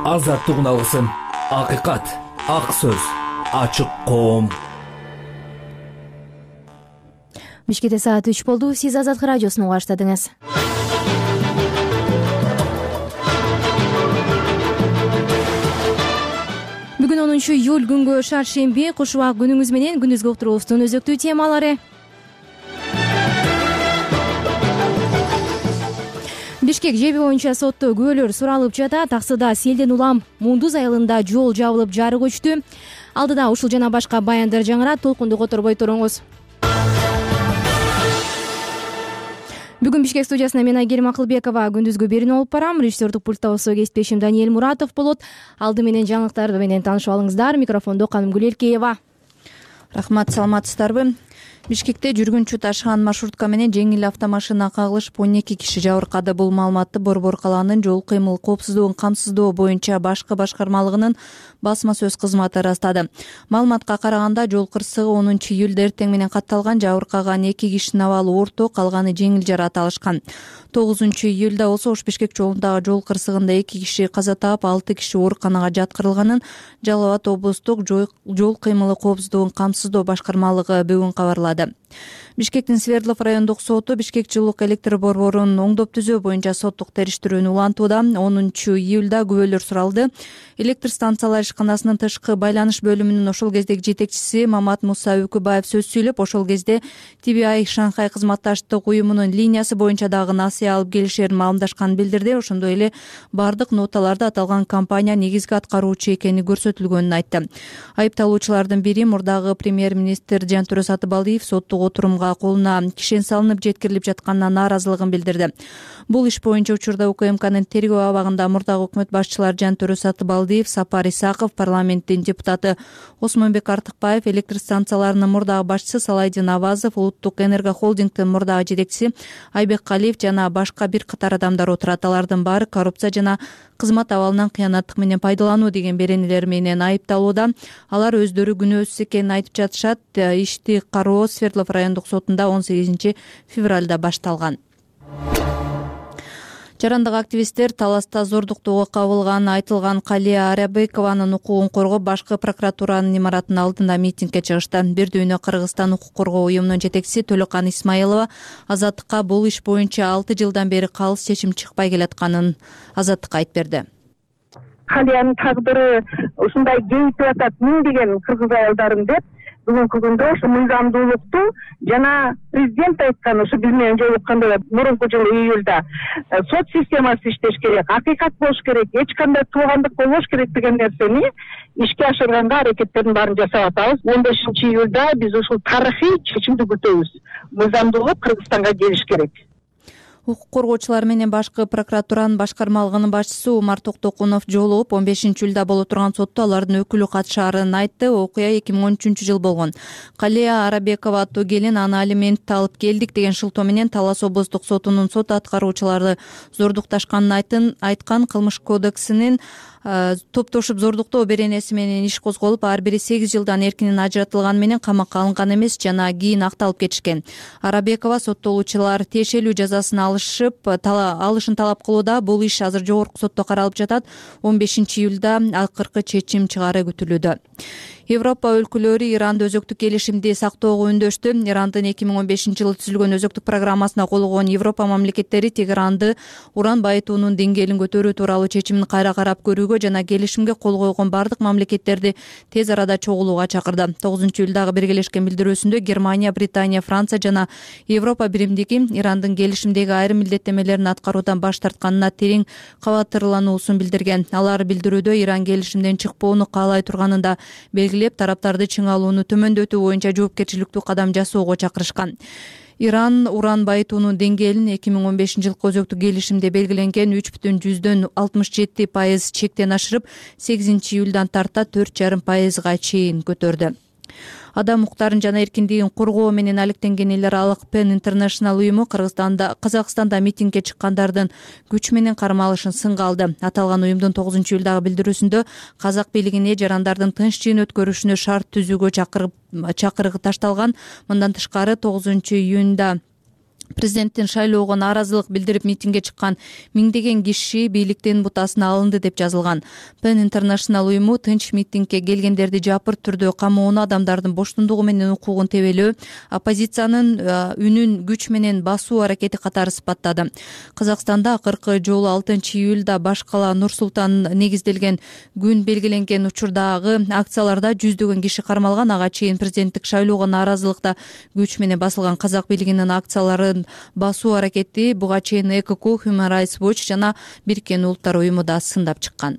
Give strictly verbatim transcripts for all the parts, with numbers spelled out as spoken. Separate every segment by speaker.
Speaker 1: азаттык алгысым, акыйкат, ак сөз, ачык коом.
Speaker 2: Бишкекте саат үч болду. Сиз Азаттык радиосун угаштадыңыз. Бүгүн онунчу июль күнгө шаршемби. Куш убак күнүңүз менен күндүзгү уктуруубуздун өзөктүү темалары. Бишкек жеби боюнча сотто күбөлөр суралып жатат. Таксыда селден улам Мундуз айылында жол жабылып жарык өчтү. Алдыда ушул жана башка баяндар жаңырат. Толкунду которбой туруңуз. Бүгүн Бишкек студиясына мен Айгерим Акылбекова күндүзгү берүүнү алып барам. Режиссердик пультта болсо кесиптешим Даниэль Муратов болот. Алды менен жаңылыктар менен таанышып алыңыздар. Микрофондо Канымгүл Эркеева.
Speaker 3: Рахмат, саламатсыздарбы? Бишкекте жүргүнчү ташыган маршрутка менен жеңил автомашина кагылышып он эки киши жабыркады. Бул маалыматты Борбор калаанын жол кыймыл коопсуздугун камсыздоо боюнча башкы башкармалыгынын басма сөз кызматы ырастады. Маалыматка караганда жол кырсыгы онунчу июлда эртең менен катталган. Жабыркаган эки кишинин абалы орто, калганы жеңил жаракат алышкан. тогузунчу июлда болсо Ош Бишкек жолундагы жол кырсыгында эки киши каза таап, алты киши ооруканага жаткырылганын Жалал Абад облустук жол кыймылы коопсуздугун камсыздоо башкармалыгы бүгүн кабарлады. Бишкектин Свердлов райондук соту Бишкек жылуулук электр борборун оңдоп түзөө боюнча соттук териштирүүнү улантууда. онунчу июлда күбөлөр суралды. Электр станциялар ишканасынын тышкы байланыш бөлүмүнүн ошол кездеги жетекчиси Мамат Муса Үкүбаев сөз сүйлөп, ошол кезде Ти Би Ай Шанхай кызматташтык уюмунун линиясы боюнча дагы насыя алып келишерин маалымдашканын билдирди. Ошондой эле бардык ноталарда аталган компания негизги аткаруучу экени көрсөтүлгөнүн айтты. Айыпталуучулардын бири мурдагы премьер-министр Жантөрө Сатыбалдиев соттук отурумга колуна кишен салынып жеткирилип жатканына нааразылыгын билдирди. Бул иш боюнча учурда УКМКнын тергөө абагында мурдагы өкмөт башчылары Жантөрө Сатыбалдиев, Сапар Исаков, парламенттин депутаты Осмонбек Артыкбаев, электр станцияларынын мурдагы башчысы Салайдин Авазов, улуттук энергохолдингдин мурдагы жетекчиси Айбек Калиев жана башка бир катар адамдар отурат. Алардын баары коррупция жана кызмат абалынан кыянаттык менен пайдалануу деген беренелер менен айыпталууда. Алар өздөрү күнөөсүз экенин айтып жатышат. Ишти кароо Свердлов райондук сотунда он сегизинчи февралда башталган. Жарандык активисттер таласта зордуктоого кабылганы айтылган Калия Арабекованын укугун коргоп, башкы прокуратуранын имаратынын алдында митингге чыгышты. Бир дүйнө Кыргызстан укук коргоо уюмунун жетекчиси Төлөкан Исмаилова Азаттыкка бул иш боюнча алты жылдан бери калыс чечим чыкпай келатканын Азаттыкка айтып берди.
Speaker 4: Калиянын тагдыры ушундай кейип атат миңдеген кыргыз айылдарын деп бүгүнкү күндө ушу мыйзамдуулукту жана президент айткан ушу биз менен жолукканда мурунку жылы июлда сот системасы иштеш керек, акыйкат болуш керек, эч кандай туугандык болбош керек деген нерсени ишке ашырганга аракеттердин баарын жасап атабыз. он бешинчи июлда биз ушул тарыхый чечимди күтөбүз. Мыйзамдуулук Кыргызстанга келиш керек.
Speaker 3: Укук коргоочулар менен башкы прокуратуранын башкармалыгынын башчысы Умар Токтокунов жолугуп, он бешинчи июлда боло турган сотто алардын өкүлү катышаарын айтты. Окуя эки миң он үчүнчү жыл болгон. Калия Арабекова аттуу келин аны алиментти алып келдик деген шылтоо менен Талас облустук сотунун сот аткаруучулары зордукташканын айткан. Кылмыш кодексинин топтошуп зордуктоо беренеси менен иш козголуп, ар бири сегиз жылдан эркинен ажыратылганы менен камакка алынган эмес жана кийин акталып кетишкен. Арабекова соттолуучулар тиешелүү жазасын алышып, алышын талап кылууда. Бул иш азыр жогорку сотто каралып жатат. он бешинчи июлда акыркы чечим чыгаары күтүлүүдө. Европа өлкөлөрү Иранды өзөктүк келишимди сактоого үндөштү. Ирандын эки миң он бешинчи жылы түзүлгөн өзөктүк программасына кол койгон Европа мамлекеттери Тегеранды уран байытуунун деңгээлин көтөрүү тууралуу чечимин кайра карап көрүүгө жана келишимге кол койгон бардык мамлекеттерди тез арада чогулууга чакырды. тогузунчу июлдагы биргелешкен билдирүүсүндө Германия, Британия, Франция жана Европа биримдиги Ирандын келишимдеги айрым милдеттемелерин аткаруудан баш тартканына терең кабатырлануусун билдирген. Алар билдирүүдө Иран келишимден чыкпоону каалай турганын да белгилеп, тараптарды чыңалууну төмөндөтүү боюнча жоопкерчиликтүү кадам жасоого чакырышкан. Иран уран байытуунун деңгээлин эки миң он бешинчи жылкы өзөктүк келишимде белгиленген үч бүтүн жүздөн алтымыш жети пайыз чектен ашырып, сегизинчи июлдан тарта төрт жарым пайызга чейин көтөрдү. Адам укуктарын жана эркиндигин коргоо менен алектенген эл аралык Pen International уюму Кыргызстанда, Казакстанда митингге чыккандардын күч менен кармалышын сынга алды. Аталган уюмдун тогузунчу июлдагы билдирүүсүндө казак бийлигине жарандардын тынч жыйын өткөрүшүнө шарт түзүүгө чакырып чакырыгы ташталган. Мындан тышкары тогузунчу июнда Президенттин шайлоого нааразылык билдирип митингге чыккан миңдеген киши бийликтин бутасына алынды деп жазылган. Pen International уюму тынч митингге келгендерди жапыр түрдө камоону, адамдардын боштондугу менен укугун тебелөө, оппозициянын үнүн күч менен басуу аракети катары сыпаттады. Казакстанда акыркы жолу алтынчы июлда баш кала Нур Султан негизделген күн белгиленген учурдагы акцияларда жүздөгөн киши кармалган. Ага чейин президенттик шайлоого нааразылыкта күч менен басылган казак бийлигинин акцияларын басуу аракети буга чейин ЭКК, Human Rights Watch жана Бириккен Улуттар уюму да сындап чыккан.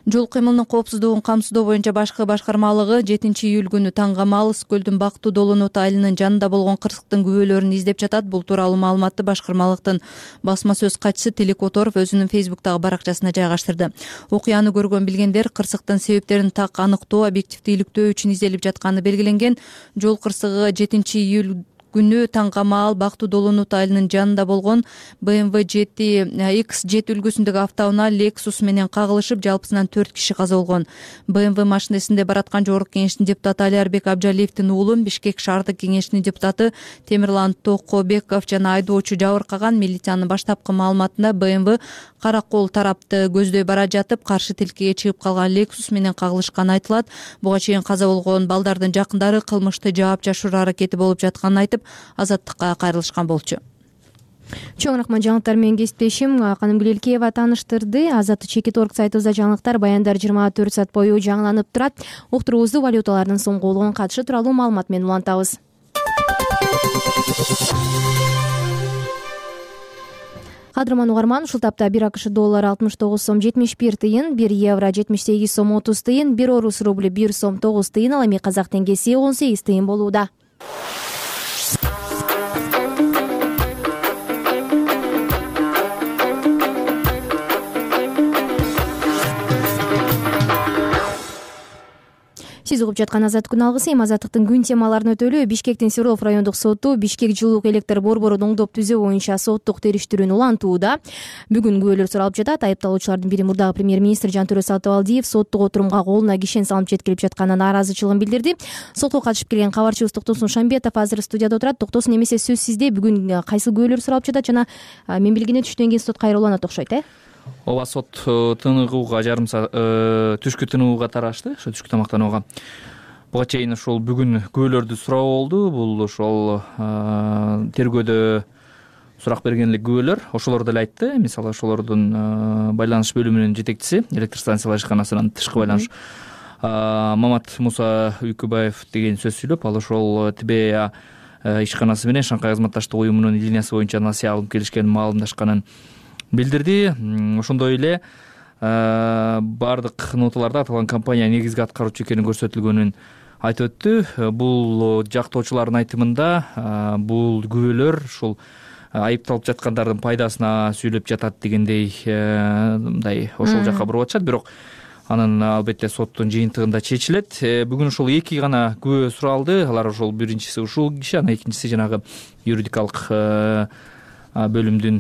Speaker 3: Жол кыймылынын коопсуздугун камсыздоо боюнча башкы башкармалыгы жетинчи июль күнү таңгамал Ыс көлдүн Бактуу Долонот айылынын жанында болгон кырсыктын күбөлөрүн издеп жатат. Бул тууралуу маалыматты башкармалыктын басма сөз катчысы Тилек Которов өзүнүн фейсбуктагы баракчасына жайгаштырды. Окуяны көргөн билгендер кырсыктын себептерин так аныктоо, объективдүүлүктөө үчүн изделип жатканы белгиленген. Жол кырсыгы жетинчи июль күнү таңгамал Бактуу Долонот айылынын жанында болгон бэ эм вэ жети икс жети үлгүсүндөгү автоунаа Lexus менен кагылышып, жалпысынан төрт киши каза болгон. бэ эм вэ машинесинде бараткан Жогорку Кеңештин депутаты Алиарбек Абжалиевдин уулу, Бишкек шаардык кеңешинин депутаты Темирлан Токобеков жана айдоочу жабыркаган. Милициянын баштапкы маалыматында бэ эм вэ Каракол тарапты көздөй бара жатып, каршы тилкеге чыгып калган Lexus менен кагылышканы айтылат. Буга чейин каза болгон балдардын жакындары кылмышты жаап жашыруу аракети болуп жатканын айтып, азаттыкка кайрылышкан болчу.
Speaker 2: Чоң рахмат, жаңылыктар менен кесиптешим Канымгүл Элкеева тааныштырды. Азаттык чекит орг сайтыбызда жаңылыктар, баяндар жыйырма төрт саат бою жаңыланып турат. Уктуруубузду валюталардын соңгулугунун катышы тууралуу маалымат менен улантабыз. Кадырман угарман, ушул тапта бир АКШ доллары алтымыш тогуз сом жетимиш бир тыйын, бир евро жетимиш сегиз сом отуз тыйын, бир орус рубль бир сом тогуз тыйын, ал эми казак теңгеси он сегиз тыйын болууда. Сиз угуп жаткан Азаттык күн алгысы. Эми Азаттыктын күн темаларын өтөлү. Бишкектин Свердлов райондук соту Бишкек жылуулук электр борборун оңдоп түзөө боюнча соттук териштирүүнү улантууда. Бүгүн күбөлөр суралып жатат. Айыпталуучулардын бири мурдагы премьер-министр Жантөрө Сатыбалдиев соттук отурумга колуна кишен салынып жеткирип жатканына нааразычылыгын билдирди. Сотко катышып келген кабарчыбыз Токтосун Шамбетов азыр студияда отурат. Токтосун, эмесе сөз сизде. Бүгүн кайсы күбөлөр суралып жатат жана мен билгене түштөн кийин сот кайрылууланат окшойт, э?
Speaker 5: Ооба, сот тыныгууга жарым саат түшкү тыныгууга тарашты, ошо түшкү тамактанууга. Буга чейин ошол бүгүн күбөлөрдү суроо болду. Бул ошол тергөөдө сурак берген эле күбөлөр. Ошолор деле айтты. Мисалы, ошолордун байланыш бөлүмүнүн жетекчиси, электр станциялар ишканасынын тышкы байланыш Мамат Муса Үйкүбаев деген сөз сүйлөп, ал ошол ТБА ишканасы менен Шанкай кызматташтык уюмунун линиясы боюнча насыя алып келишкен, маалымдашканын билдирди. Ошондой эле бардык ноталарда аталган компания негизги аткаруучу экени көрсөтүлгөнүн айтып өттү. Бул жактоочулардын айтымында бул күбөлөр ушул айыпталып жаткандардын пайдасына сүйлөп жатат дегендей, мындай ошол жакка буруп атышат. Бирок анын албетте соттун жыйынтыгында чечилет. Бүгүн ошол эки гана күбө суралды. Алар ошол биринчиси ушул киши, анан экинчиси жанагы юридикалык бөлүмдүн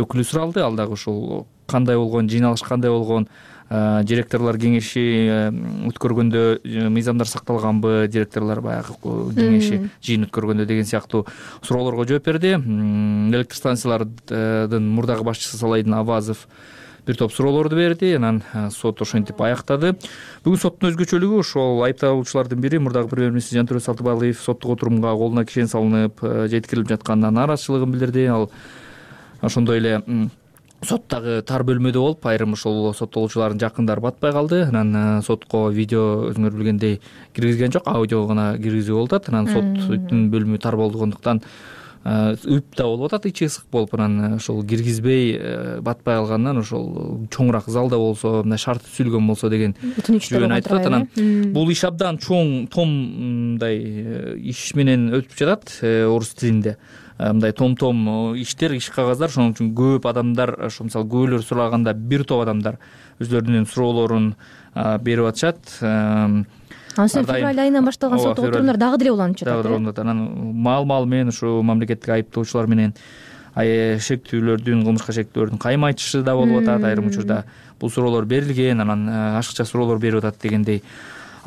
Speaker 5: өкүлү суралды. Ал дагы ушул кандай болгон, жыйналыш кандай болгон, директорлор кеңеши өткөргөндө мыйзамдар сакталганбы, директорлор баягы кеңеши жыйын өткөргөндө деген сыяктуу суроолорго жооп берди. Электр станциялардын мурдагы башчысы Салайдын Авазов бир топ суроолорду берди. Анан сот ошентип аяктады. Бүгүн соттун өзгөчөлүгү ошол айыпталуучулардын бири мурдагы премьер-министр Жантөрө Сатыбалдиев соттук отурумга колуна кишен салынып жеткирилип жатканына нааразычылыгын билдирди. Ал ошондой эле соттагы тар бөлмөдө болуп, айрым ошол соттолуучулардын жакындары батпай калды. Анан сотко видео өзүңөр билгендей киргизген жок, аудио гана киргизүү болуп атат. Анан соттун бөлүмү тар болгондуктан үп да болуп атат, ичи ысык болуп, анан ошол киргизбей батпай калгандан ошол чоңураак залда болсо, мындай шарты түзүлгөн болсо деген жөн айтып атат. Анан бул иш абдан чоң, том мындай иш менен өтүп жатат орус тилинде. Мындай том-том иштер, иш кагаздар, ошон үчүн көп адамдар, ошо мисалы күбөлөр суралаганда бир топ адамдар өзлөрүнүн суроолорун берип атышат.
Speaker 2: Анан февраль айынан башталган соттук отурумдар дагы деле уланып жатат.
Speaker 5: Дагы уланат. Анан маал-маал менен ушу мамлекеттик айыптоочулар менен шектүүлөрдүн, кылмышка шектүүлөрдүн кайым айтышы да болуп атат. Айрым учурда бул суроолор берилген, анан ашыкча суроолор берип атат дегендей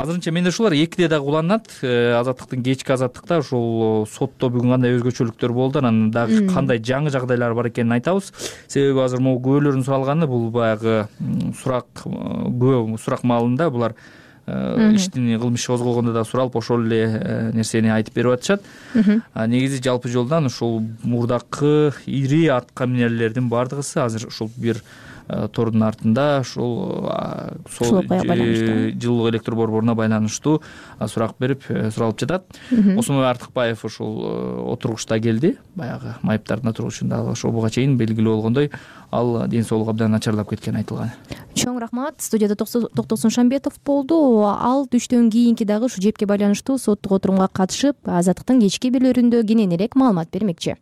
Speaker 5: азырынча менде ушулар экиде дагы уланат. Азаттыктын кечки азаттыкта ошол сотто бүгүн кандай өзгөчөлүктөр болду, анан дагы кандай жаңы жагдайлар бар экенин айтабыз. Себеби азыр могу күбөлөрдүн суралганы бул баягы сурак күбө сурак маалында булар иштин кылмыш козголгондо да суралып ошол эле нерсени айтып берип атышат. Негизи жалпы жолдон ушул мурдакы ири атка минерлердин бардыгысы азыр ушул бир тордун артында ушул жылуулук электр борборуна байланыштуу сурак берип суралып жатат. Осмонбай Артыкбаев ушул отургучта келди, баягы майыптардын отургучунда ошол буга чейин белгилүү болгондой ал ден соолугу абдан начарлап кеткени айтылган.
Speaker 2: Чоң рахмат. Студияда Токтосун Шамбетов болду. Ал түштөн кийинки дагы ушу жепке байланыштуу соттук отурумга катышып, Азаттыктын кечки бирлөрүндө кененирээк маалымат бермекчи.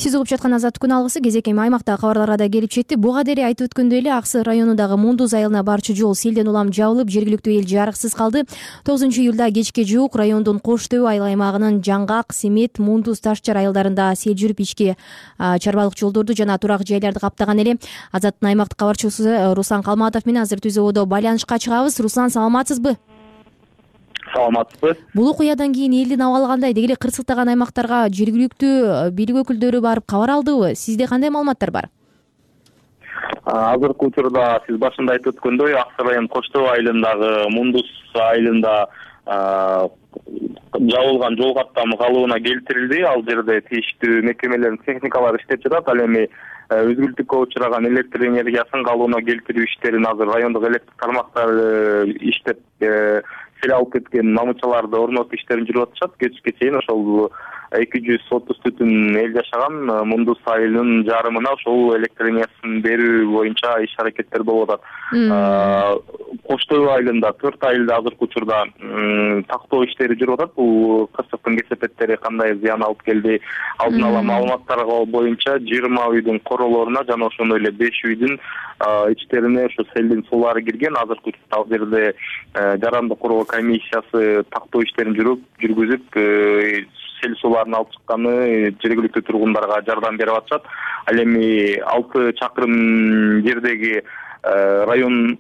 Speaker 2: Сиз угуп жаткан Азаттык күн алгысы кезек эми аймактагы кабарларга да келип жетти. Буга дейин айтып өткөндөй эле Ак Сый районундагы Мундуз айылына барчу жол селден улам жабылып, жергиликтүү эл жарыксыз калды. тогузунчу июлда кечке жуук райондун Кош Төбө айыл аймагынын Жаңгак, Семет, Мундуз, Ташчар айылдарында сел жүрүп ички чарбалык жолдорду жана турак жайларды каптаган эле. Азаттын аймактык кабарчысы Руслан Калматов менен азыр түз абада байланышка чыгабыз. Руслан, саламатсызбы?
Speaker 6: Саламатсызбы.
Speaker 2: Бул окуядан кийин элдин абалы кандай? Деги эле кырсыктаган аймактарга жергиликтүү бийлик өкүлдөрү барып кабар алдыбы? Сизде кандай маалыматтар бар?
Speaker 6: Азыркы учурда сиз башында айтып өткөндөй, Ак Сый район Кош Төбө айылындагы Мундуз айылында жабылган жол каттамы калыбына келтирилди. Ал жерде тийиштүү мекемелердин техникалары иштеп жатат. Ал эми өзгүлтүккө учураган электр энергиясын калыбына келтирүү иштерин азыр райондук электр тармактары иштеп сел алып кеткен намычаларды орнотуу иштерин жүрүп атышат. Кечке чейин ошол эки жүз отуз түтүн эл жашаган Мундуз айылынын жарымына ошол электр энергиясын берүү боюнча иш аракеттер болуп атат. Кош Төбө айылында төрт айылда азыркы учурда тактоо иштери жүрүп атат. Бул кырсыктын кесепеттери кандай зыян алып келди? Алдын ала маалыматтарга боюнча жыйырма үйдүн королоруна жана ошондой эле беш үйдүн ичтерине ошо селдин суулары кирген. Азыркы учурда ал жерде жарандык куруу комиссиясы тактоо иштерин жүрүп жүргүзүп сел сууларын алып чыкканы жергиликтүү тургундарга жардам берип атышат. Ал эми алты чакырым жердеги район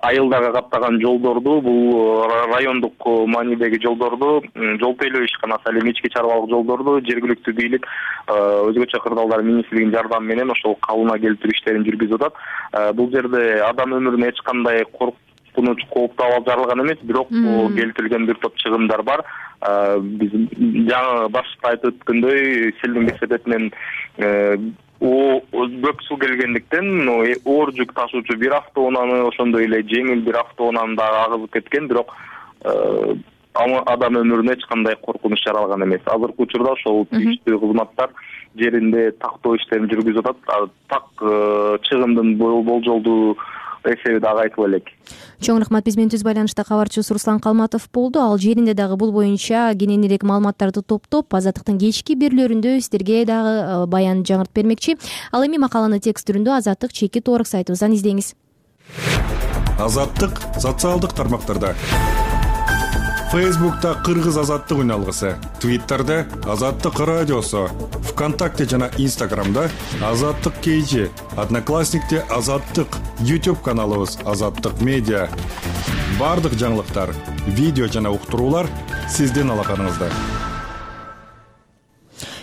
Speaker 6: айылдарга каптаган жолдорду, бул райондук маанидеги жолдорду, жол тейлөө ишканасы, ал эми ички чарбалык жолдорду жергиликтүү бийлик өзгөчө кырдаалдар министрлигинин жардамы менен ошол калыбына келтирүү иштерин жүргүзүп атат. Бул жерде адам өмүрүнө эч кандай коркунуч, кооптуу абал жаралган эмес, бирок келтирилген бир топ чыгымдар бар. Биз жаңы башта айтып өткөндөй, селдин кесепетинен көк суу келгендиктен оор жүк ташуучу бир автоунааны, ошондой эле жеңил бир автоунааны дагы агызып кеткен, бирок адам өмүрүнө эч кандай коркунуч жаралган эмес. Азыркы учурда ошол тийиштүү кызматтар жеринде тактоо иштерин жүргүзүп атат. Так чыгымдын болжолдуу эсеби дагы айтылып элек.
Speaker 2: Чоң рахмат. Биз менен түз байланышта кабарчыбыз Руслан Калматов болду. Ал жеринде дагы бул боюнча кененирээк маалыматтарды топтоп, Азаттыктын кечки бирлөрүндө сиздерге дагы баян жаңыртып бермекчи. Ал эми макаланы текст түрүндө Азаттык чеки торг сайтыбыздан издеңиз.
Speaker 7: Азаттык социалдык тармактарда. Фейсбукта Кыргыз Азаттык үн алгысы, Твиттерде Азаттык радиосу, ВКонтакте жана Инстаграмда Азаттык кейжи, Одноклассникте Азаттык, YouTube каналыбыз Азаттык медиа. Бардык жаңылыктар, видео жана уктуруулар сиздин алаканыңызда.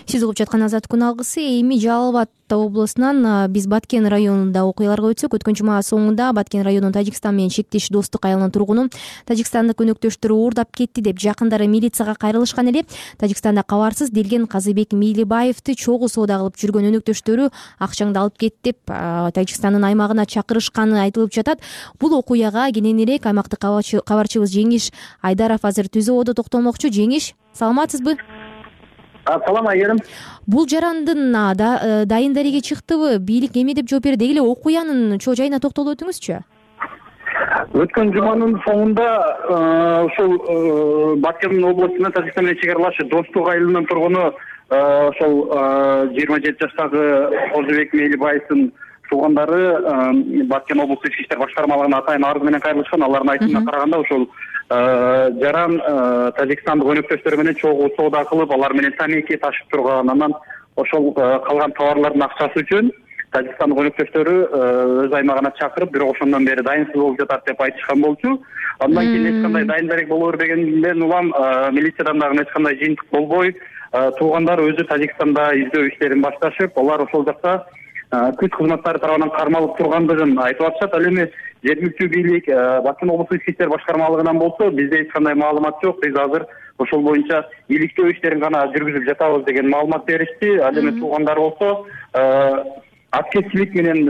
Speaker 2: Сиз угуп жаткан Азаттык күн алгысы. Эми Жалал Абад облусунан биз Баткен районунда окуяларга өтсөк, өткөн жума соңунда Баткен районунун Тажикстан менен чектеш достук айылынын тургуну тажикстандык өнөктөштөрү уурдап кетти деп жакындары милицияга кайрылышкан эле. Тажикстанда кабарсыз делген Казыбек Милибаевди чогуу соода кылып жүргөн өнөктөштөрү акчаңды алып кет деп Тажикстандын аймагына чакырышканы айтылып жатат. Бул окуяга кененирээк аймактык кабарчыбыз Жеңиш Айдаров азыр түз абада токтолмокчу. Жеңиш, саламатсызбы?
Speaker 6: Салам айгерим.
Speaker 2: Бул жарандын дайын дареге чыктыбы? Бийлик эме деп жооп берди? Деги эле окуянын чоо жайына токтолуп өтүңүзчү.
Speaker 6: Өткөн жуманын соңунда ошол Баткен облусунун Тажикстан менен чек аралаш достук айылынын тургуну ошол жыйырма жети жаштагы Казыбек Милибаевдин туугандары Баткен облустук ички иштер башкармалыгына атайын арыз менен кайрылышкан. Алардын айтымына караганда ошол жаран Тажикстандык өнөктөштөр менен чогуу соода кылып, алар менен тамеки ташып турган, анан ошол калган товарлардын акчасы үчүн Тажикстандык өнөктөштөрү өз аймагына чакырып, бирок ошондон бери дайынсыз болуп жатат деп айтышкан болчу. Андан кийин эч кандай дайын дарек боло бербегенден улам милициядан дагы эч кандай жыйынтык болбой, туугандар өзү Тажикстанда издөө иштерин башташып, алар ошол жакта күч кызматтары тарабынан кармалып тургандыгын айтып атышат. Ал эми жергиликтүү бийлик Башкын облустук ички иштер башкармалыгынан болсо, бизде эч кандай маалымат жок. Биз азыр ошол боюнча иликтөө иштерин гана жүргүзүп жатабыз деген маалымат беришти. Ал эми туугандар болсо аскерчилик менен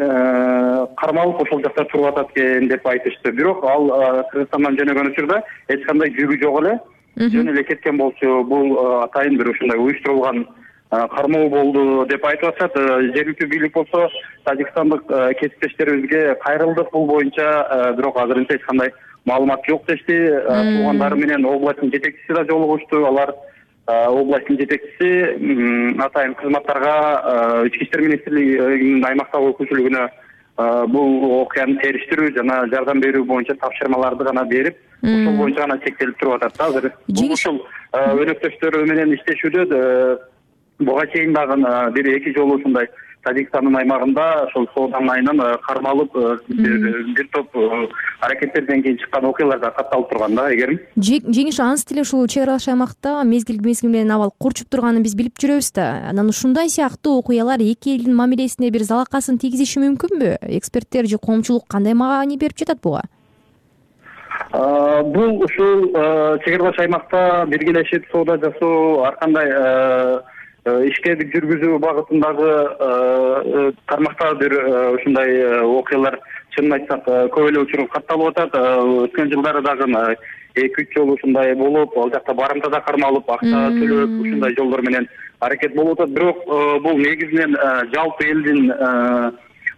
Speaker 6: кармалып ошол жакта туруп атат экен деп айтышты. Бирок ал Кыргызстандан жөнөгөн учурда эч кандай жүгү жок эле, жөн эле кеткен болчу. Бул атайын бир ушундай уюштурулган кармоо болду деп айтып атышат. Жергиликтүү бийлик болсо тажикстандык кесиптештерибизге кайрылдык бул боюнча, бирок азырынча эч кандай маалымат жок дешти. Туугандары менен областтын жетекчиси да жолугушту. Алар областтын жетекчиси атайын кызматтарга ички иштер министрлигинин аймактагы өкүлчүлүгүнө бул окуяны териштирүү жана жардам берүү боюнча тапшырмаларды гана берип, ошол боюнча гана чектелип туруп атат. Азыр бул ушул өнөктөштөрү менен иштешүүдө буга чейин дагы бир эки жолу ушундай Тажикстандын аймагында ошол сооданын айынан кармалып бир топ аракеттерден кийин чыккан окуялар да катталып турган да. Эгерим
Speaker 2: жеңиш аныс деле ушул чек аралаш аймакта мезгил мезгил менен абал курчуп турганын биз билип жүрөбүз да. Анан ушундай сыяктуу окуялар эки элдин мамилесине бир залакасын тийгизиши мүмкүнбү? Эксперттер же коомчулук кандай маани берип жатат буга?
Speaker 6: Бул ушул чек аралаш аймакта биргелешип соода жасоо, ар кандай ишке жүргүзүү багытындагы тармакта бир ушундай окуялар чынын айтсак көп эле учур катталып атат. Өткөн жылдары дагы эки үч жолу ушундай болуп, ал жакта барымтада кармалып, акча төлөп, ушундай жолдор менен аракет болуп атат. Бирок бул негизинен жалпы элдин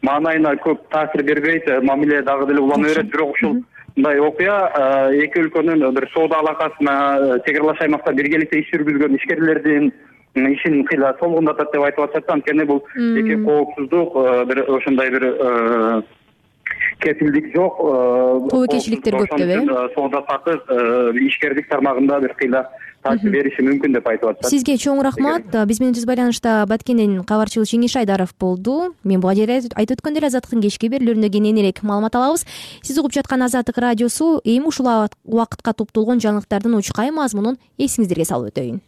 Speaker 6: маанайына көп таасир бербейт, мамиле дагы деле улана берет. Бирок ушул мындай окуя эки өлкөнүн бир соода алакасына, чек аралаш аймакта биргеликте иш жүргүзгөн ишкерлердин ишин кыйла солгундатат деп айтып атышат. Анткени бул эки коопсуздук бир ошондой бир кепилдик жок.
Speaker 2: Тобокелчиликтер көп деп э?
Speaker 6: Соода сатык ишкердик тармагында бир кыйла таасир бериши мүмкүн деп айтып атышат.
Speaker 2: Сизге чоң рахмат. Биз менен түз байланышта Баткенден кабарчыбыз Жеңиш Айдаров болду. Мен буга жерде айтып өткөндөй Азаттыктын кечки берүүлөрүндө кененирээк маалымат алабыз. Сиз угуп жаткан Азаттык радиосу. Эми ушул убакытка топтолгон жаңылыктардын учкай мазмунун эсиңиздерге салып өтөйүн.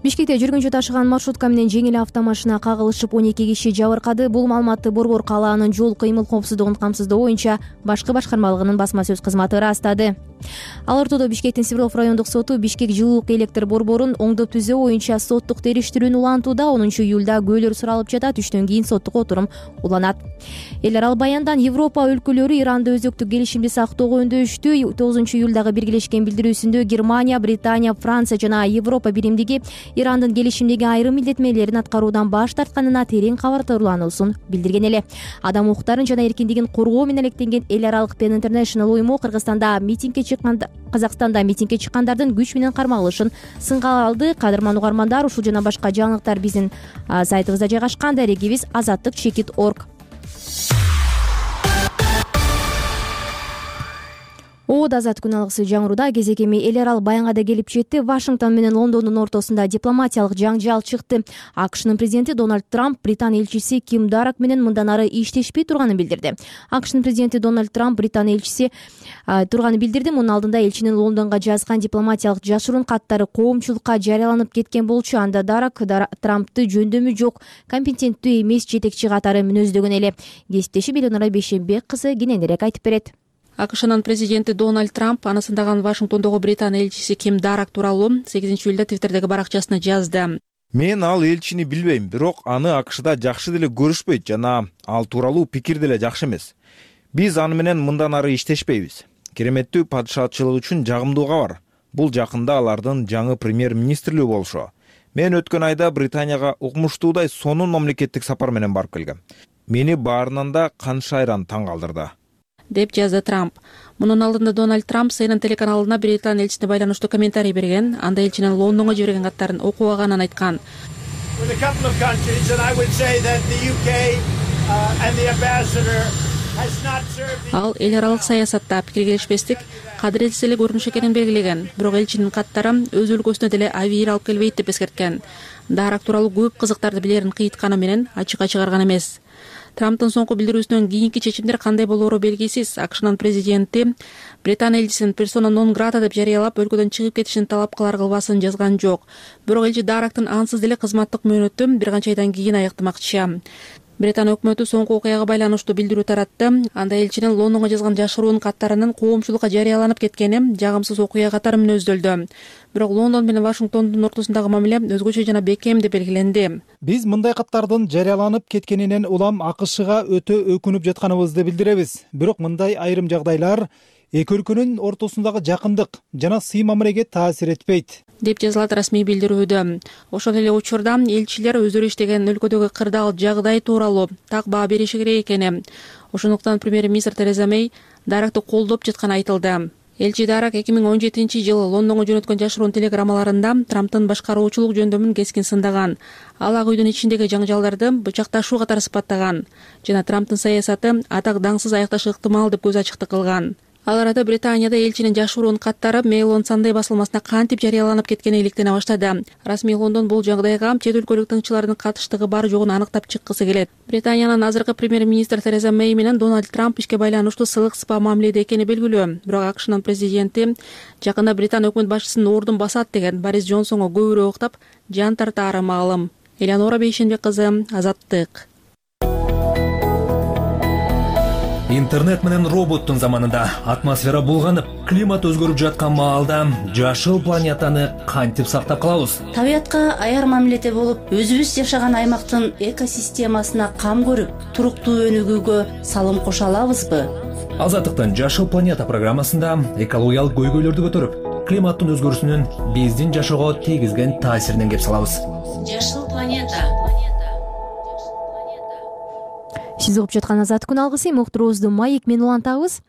Speaker 2: Бишкекте жүргүнчү ташыган маршрутка менен жеңил автомашина кагылышып он эки киши жабыркады. Бул маалыматты Борбор калаанын жол кыймыл коопсуздугун камсыздоо боюнча башкы башкармалыгынын басма сөз кызматы ырастады. Ал ортодо Бишкектин Свердлов райондук соту Бишкек жылуулук электр борборун оңдоп түзөө боюнча соттук териштирүүнү улантууда. онунчу июлда күбөлөр суралып жатат. Үчтөн кийин соттук отурум уланат. Эл арал баяндан Европа өлкөлөрү Иранды өзөктүк келишимди сактоого үндөштү. тогузунчу июлдагы биргелешкен билдирүүсүндө Германия, Британия, Франция жана Европа биримдиги Ирандын келишимдеги айрым милдетмелерин аткаруудан баш тартканына терең кабардарлануусун билдирген эле. Адам укуктарын жана эркиндигин коргоо менен алектенген эл аралык Pen International уюму Кыргызстанда митингге чыкканда Казакстанда митингге чыккандардын күч менен кармалышын сынга алды. Кадырман угармандар, ушул жана башка жаңылыктар биздин сайтыбызда жайгашкан. Дарегибиз азаттык чекит орг. О Азат күн алгысы жаңыруда кезек эми эл арал баянга да келип жетти. Вашингтон менен Лондондун ортосунда дипломатиялык жаңжал чыкты. АКШнын президенти Дональд Трамп Британ элчиси Ким Дарак менен мындан ары иштешпей турганын билдирди. АКШнын президенти Дональд Трамп Британ элчиси турганын билдирди. Мунун алдында элчинин Лондонго жазган дипломатиялык жашыруун каттары коомчулукка жарыяланып кеткен болчу. Анда Дарак Трампты жөндөмү жок, компетенттүү эмес жетекчи катары мүнөздөгөн эле. Кесиптеши Белонара Бейшенбек кызы кененирээк айтып берет.
Speaker 3: АКШнын президенти Дональд Трамп анысындагы Вашингтондогу Британ элчиси Ким Дарак тууралуу сегизинчи июлда Твиттердеги баракчасына жазды.
Speaker 8: Мен ал элчини билбейм, бирок аны АКШда жакшы деле көрүшпөйт жана ал тууралуу пикир деле жакшы эмес. Биз аны менен мындан ары иштешпейбиз. Кереметтүү падышачылык үчүн жагымдуу кабар. Бул жакында алардын жаңы премьер-министрлүү болушу. Мен өткөн айда Британияга укмуштуудай сонун мамлекеттик сапар менен барып келгем. Мени баарынан да каншайран таң калтырды,
Speaker 3: деп жазды Трамп. Мунун алдында Дональд Трамп Си Эн Эн телеканалына Британ элчисине байланыштуу комментарий берген. Анда элчинин Лондонго жиберген каттарын окубаганын айткан.
Speaker 9: ал эл аралык саясатта пикир келишпестик кадыретсиз эле көрүнүш экенин белгилеген, бирок элчинин каттары өз өлкөсүнө деле абийир алып келбейт деп эскерткен. Дарак тууралуу көп кызыктарды билерин кыйытканы менен ачыкка чыгарган эмес. Трамптын соңку билдирүүсүнөн кийинки чечимдер кандай болоору белгисиз. АКШнын президенти Британия элчисин персона нон грата деп жарыялап, өлкөдөн чыгып кетишин талап кылар кылбасын жазган жок. Бирок элчи Дарактын ансыз деле кызматтык мөөнөтү бир канча айдан кийин аяктамакчы. Британия өкмөтү соңку окуяга байланыштуу билдирүү таратты. Анда элчинин Лондонго жазган жашыруун каттарынын коомчулукка жарыяланып кеткени жагымсыз окуя катары мүнөздөлдү. Бирок Лондон менен Вашингтондун ортосундагы мамиле өзгөчө жана бекем деп белгиленди.
Speaker 10: Биз мындай каттардын жарыяланып кеткенинен улам АКШга өтө өкүнүп жатканыбызды билдиребиз. Бирок мындай айрым жагдайлар эки өлкөнүн ортосундагы жакындык жана сый мамилеге таасир этпейт
Speaker 9: деп жазылат расмий билдирүүдө. Ошол эле учурда элчилер өздөрү иштеген өлкөдөгү кырдаал жагдай тууралуу так баа бериши керек экени. Ошондуктан премьер-министр Тереза Мэй Даракты колдоп жатканы айтылды. Элчи Дарак эки миң он жетинчи жылы Лондонго жөнөткөн жашыруун телеграммаларында Трамптын башкаруучулук жөндөмүн кескин сындаган. Ал ак үйдүн ичиндеги жаңжалдарды бычакташуу катары сыпаттаган жана Трамптын саясаты атак даңсыз аякташы ыктымал деп көз ачыктык кылган. Ал арада Британияда элчинин жашыруун каттары Mail on Sunday басылмасына кантип жарыяланып кеткени иликтене баштады. Расмий Лондон бул жагдайга чет өлкөлүк тыңчылардын катыштыгы бар жогун аныктап чыккысы келет. Британиянын азыркы премьер-министр Тереза Мэй менен Дональд Трамп ишке байланыштуу сылык сыпа мамиледе экени белгилүү. Бирок АКШнын президенти жакында Британ өкмөт башчысынын ордун басат деген Борис Джонсонго көбүрөөк уктап, жан тартаары маалым. Элеонора Бейшенбек кызы, Азаттык.
Speaker 1: Интернет менен роботтун заманында атмосфера булганып, климат өзгөрүп жаткан маалда жашыл планетаны кантип сактап калабыз?
Speaker 11: Табиятка аяр мамиледе болуп, өзүбүз жашаган аймактын экосистемасына кам көрүп, туруктуу өнүгүүгө салым кошо алабызбы?
Speaker 1: Азаттыктын Жашыл планета программасында экологиялык көйгөйлөрдү көтөрүп, климаттын өзгөрүүсүнүн биздин жашоого тийгизген таасиринен кеп салабыз.
Speaker 11: Жашыл планета.
Speaker 2: Сиз угуп жаткан Азаттык күн алгысы уктуруубузду маек менен улантабыз.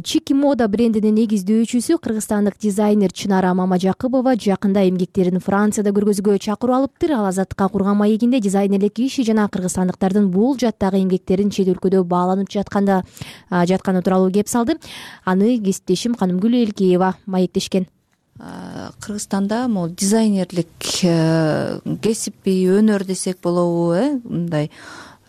Speaker 2: Чики мода брендинин негиздөөчүсү кыргызстандык дизайнер Чынара Мамажакыбова жакында эмгектерин Францияда көргөзүүгө чакыруу алыптыр. Ал Азаттыкка курган маегинде дизайнерлик иши жана кыргызстандыктардын бул жаттагы эмгектерин чет өлкөдө бааланып жатканда жатканы тууралуу кеп салды. Аны кесиптешим Канымгүл Элкеева маектешкен.
Speaker 3: Кыргызстанда могу дизайнерлик кесипи өнөр десек болобу, э мындай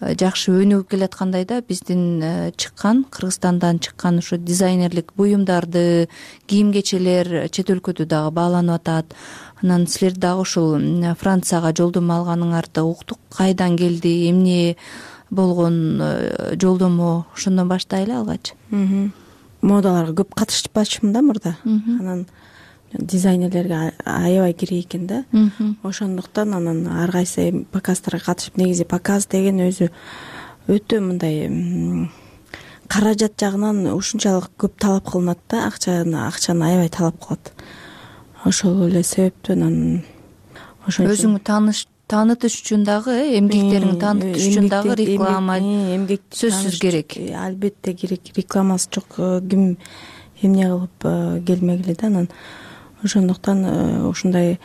Speaker 3: жакшы өнүгүп келаткандай да, биздин чыккан Кыргызстандан чыккан ушу дизайнерлик буюмдарды, кийим кечелер чет өлкөдө дагы бааланып атат. Анан силер дагы ушул Францияга жолдомо алганыңарды уктук. Кайдан келди, эмне болгон жолдомо, ошондон баштайлы алгач.
Speaker 12: Модаларга көп катышпачумун да мурда. Анан дизайнерлерге аябай керек экен да. Ошондуктан анан ар кайсы показдарга катышып, негизи показ деген өзү өтө мындай каражат жагынан ушунчалык көп талап кылынат да, акчаны акчаны аябай талап кылат. Ошол эле себептен анан
Speaker 3: ошон өзүңү тааныш таанытыш үчүн дагы, эмгектериңди таанытыш үчүн дагы реклама сөзсүз керек.
Speaker 12: Албетте керек. Рекламасы жок ким эмне кылып келмегиле да. Анан ошондуктан ушундай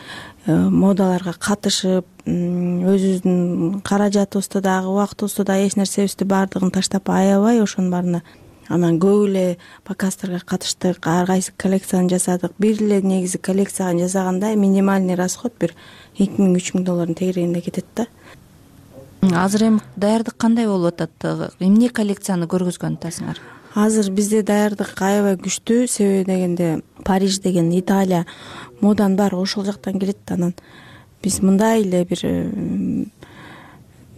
Speaker 12: модаларга катышып, өзүбүздүн каражатыбызды дагы, убактыбызды дагы, эч нерсебизди баардыгын таштап аябай ошонун баарына анан көп эле показдарга катыштык, ар кайсы коллекцияны жасадык. Бир эле негизи коллекцияны жасаганда минимальный расход бир эки миң үч миң доллардын тегерегинде кетет да.
Speaker 3: Азыр эми даярдык кандай болуп атат? Эмне коллекцияны көргөзгөн атасыңар?
Speaker 12: Азыр бизде даярдык аябай күчтүү, себеби дегенде Париж деген Италия моданын баары ошол жактан келет. Анан биз мындай эле бир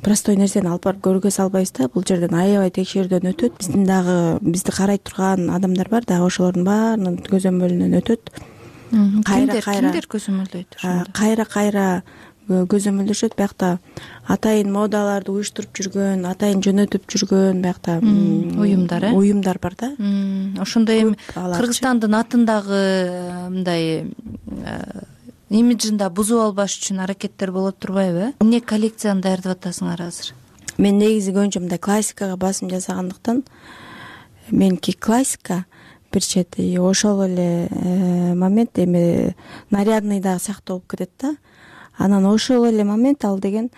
Speaker 12: простой нерсени алып барып көргөзө албайбыз да. Бул жерден аябай текшерүүдөн өтөт. Биздин дагы бизди карай турган адамдар бар дагы, ошолордун баарынын көзөмөлүнөн өтөт.
Speaker 3: Кайра кайра кимдер көзөмөлдөйт ошондо?
Speaker 12: Кайра кайра көзөмөлдөшөт. Биякта атайын модаларды уюштуруп жүргөн, атайын жөнөтүп жүргөн биякта
Speaker 3: уюмдар, э?
Speaker 12: Уюмдар бар да.
Speaker 3: Ошондо эми Кыргызстандын атындагы мындай имиджинда бузуп албаш үчүн аракеттер болот турбайбы? Эмне коллекцияны даярдап атасыңар азыр?
Speaker 12: Мен негизи көбүнчө мындай классикага басым жасагандыктан, меники классика бир чети, ошол эле момент эми нарядный дагы сыяктуу болуп кетет да. Анан ошол эле момент ал деген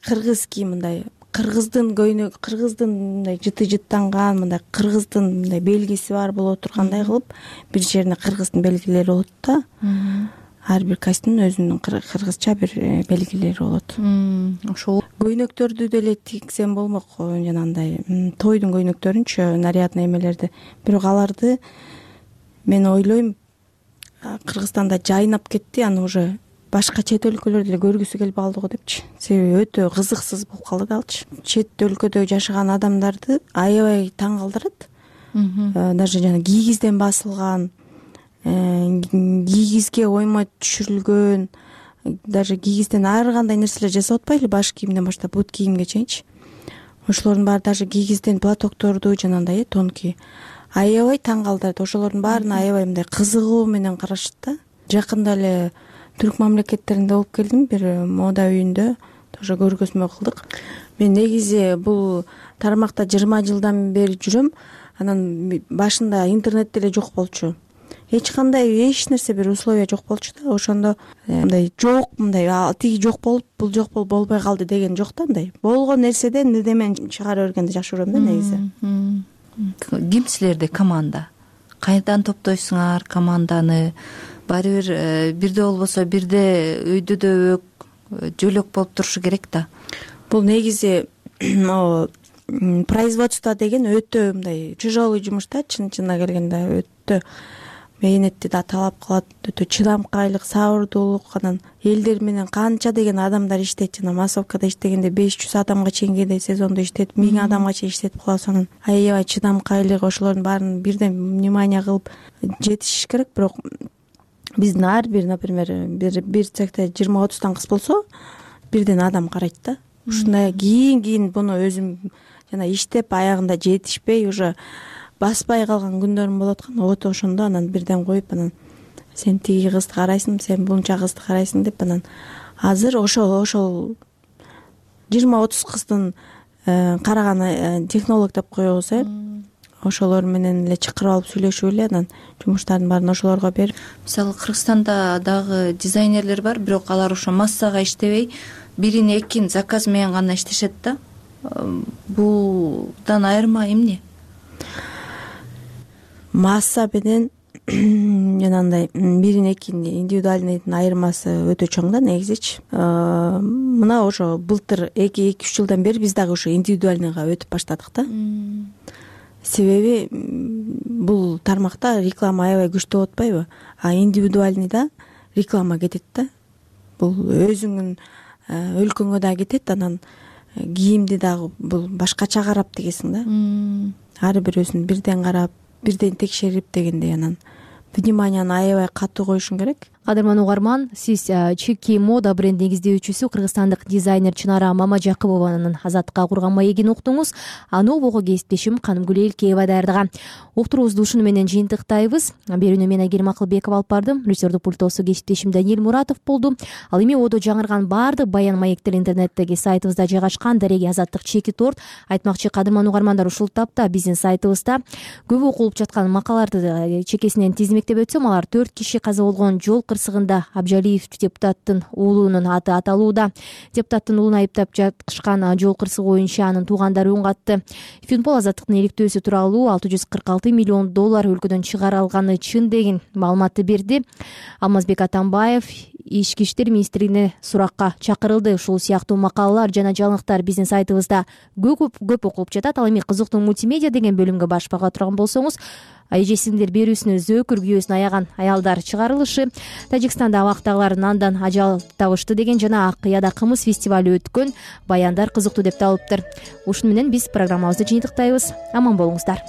Speaker 12: кыргызский мындай кыргыздын көйнөк, кыргыздын мындай жыты жыттанган, мындай кыргыздын мындай белгиси бар боло тургандай кылып бир жерине кыргыздын белгилери болот да. Ар бир костюмдун өзүнүн кыргызча бир белгилери болот.
Speaker 3: Ошол
Speaker 12: көйнөктөрдү деле тиксем болмок, жанагындай тойдун көйнөктөрүнчү, нарядный эмелерди. Бирок аларды мен ойлойм Кыргызстанда жайнап кетти, аны уже башка чет өлкөлөр деле көргүсү келип калды го депчи. Себеби өтө кызыксыз болуп калды да алчы. Чет өлкөдө жашаган адамдарды аябай таң калтырат. Даже жана кийгизден басылган, кийгизге оймой түшүрүлгөн, даже кийгизден ар кандай нерселер жасап атпайлы, баш кийимден баштап бут кийимге чейинчи. Ошолордун баары даже кийгизден платокторду жанагындай тонкий аябай таң калтырат. Ошолордун баарына аябай мындай кызыгуу менен карашат да. Жакында эле түрк мамлекеттеринде болуп келдим, бир мода үйүндө тоже көргөзмө кылдык. Мен негизи бул тармакта жыйырма жылдан бери жүрөм. Анан башында интернет деле жок болчу. Эч кандай эч нерсе бир условия жок болчу да. Ошондо мындай жок, мындай тиги жок болуп, бул жок болуп болбой калды деген жок да. Мындай болгон нерседен ырдемен чыгара бергенди жакшы көрөм да негизи.
Speaker 3: Ким силерде команда? Кайдан топтойсуңар команданы? Баары бир бирде болбосо бирде өйдө дөбөк, жөлөк болуп турушу керек да.
Speaker 12: Бул негизи производство деген өтө мындай тяжелый жумуш да, чын-чынына келгенде өтө мээнетти да талап кылат, өтө чыдамкайлык, сабырдуулук. Анан элдер менен канча деген адамдар иштейт. Жана массовкада иштегенде беш жүз адамга чейин кээде сезондо иштейт, миң адамга чейин иштетип калабыз. Анан аябай чыдамкайлык, ошолордун баарын бирден внимание кылып жетишиш керек. Бирок биздин ар бир, например, бир бир цехте жыйырма отуздан кыз болсо, бирден адам карайт да. Ушундай кийин-кийин буну өзүм жана иштеп аягында жетишпей уже баспай калган күндөрүм болот экен. Вот ошондо анан бирден коюп, анан сен тиги кызды карайсың, сен бунча кызды карайсың деп, анан азыр ошол ошол жыйырма отуз кыздын караган технолог деп коебуз, э. Ошолор менен эле чакырып алып сүйлөшүп эле анан жумуштардын баарын ошолорго берип.
Speaker 3: Мисалы Кыргызстанда дагы дизайнерлер бар, бирок алар ошо массага иштебей, бирин экин заказ менен гана иштешет да. Булдан айырма эмне?
Speaker 12: Масса менен жанагындай бирин экин индивидуальныйдын айырмасы өтө чоң да негизичи. Мына ошо былтыр эки эки үч жылдан бери биз дагы ошо индивидуальныйга өтүп баштадык да. Себеби бул тармакта реклама аябай күчтүү болуп атпайбы? А индивидуальныйда реклама кетет да. Бул өзүңүн өлкөңө да кетет, анан кийимди дагы бул башкача карап тигесиң да. Ар бирөөсүн бирден карап, бирден текшерип дегендей, анан вниманияны аябай катуу коюшуң керек.
Speaker 2: Кадырман угарман, сиз Чики мода бренди негиздөөчүсү кыргызстандык дизайнер Чынара Мамажакыбованын Азаттыкка курган маегин уктуңуз. Аны угууга кесиптешим Канымгүл Элкеева даярдаган. Уктуруубузду ушуну менен жыйынтыктайбыз. Берүүнү мен Айгерим Акылбекова алып бардым. Режиссердук пультосу кесиптешим Даниил Муратов болду. Ал эми одо жаңырган баардык баян маектер интернеттеги сайтыбызда жайгашкан. Дареги Азаттык чеки торт. Айтмакчы кадырман угармандар, ушул тапта биздин сайтыбызда көп окулуп жаткан макалаларды чекесинен тизмектеп өтсөм, алар төрт киши каза болгон жол кырсыгында Абжалиев депутаттын уулунун аты аталууда. Депутаттын уулун айыптап жатышкан жол кырсыгы боюнча анын туугандары үн катты. Финпол Азаттыктын иликтөөсү тууралуу алты жүз кырк алты миллион доллар өлкөдөн чыгарылганы чын деген маалыматты берди. Алмазбек Атамбаев Ички иштер министрлигине суракка чакырылды. Ушул сыяктуу макалалар жана жаңылыктар биздин сайтыбызда көп көп окулуп жатат. Ал эми кызыктуу мультимедиа деген бөлүмгө баш бага турган болсоңуз, эжесиңдер берүүсүнө зөөкүр күйөөсүн аяган аялдар чыгарылышы, Тажикстанда абактагылар андан ажал табышты деген жана Ак Кыяда кымыз фестивалү өткөн баяндар кызыктуу деп табылыптыр. Ушуну менен биз программабызды жыйынтыктайбыз. Аман болуңуздар.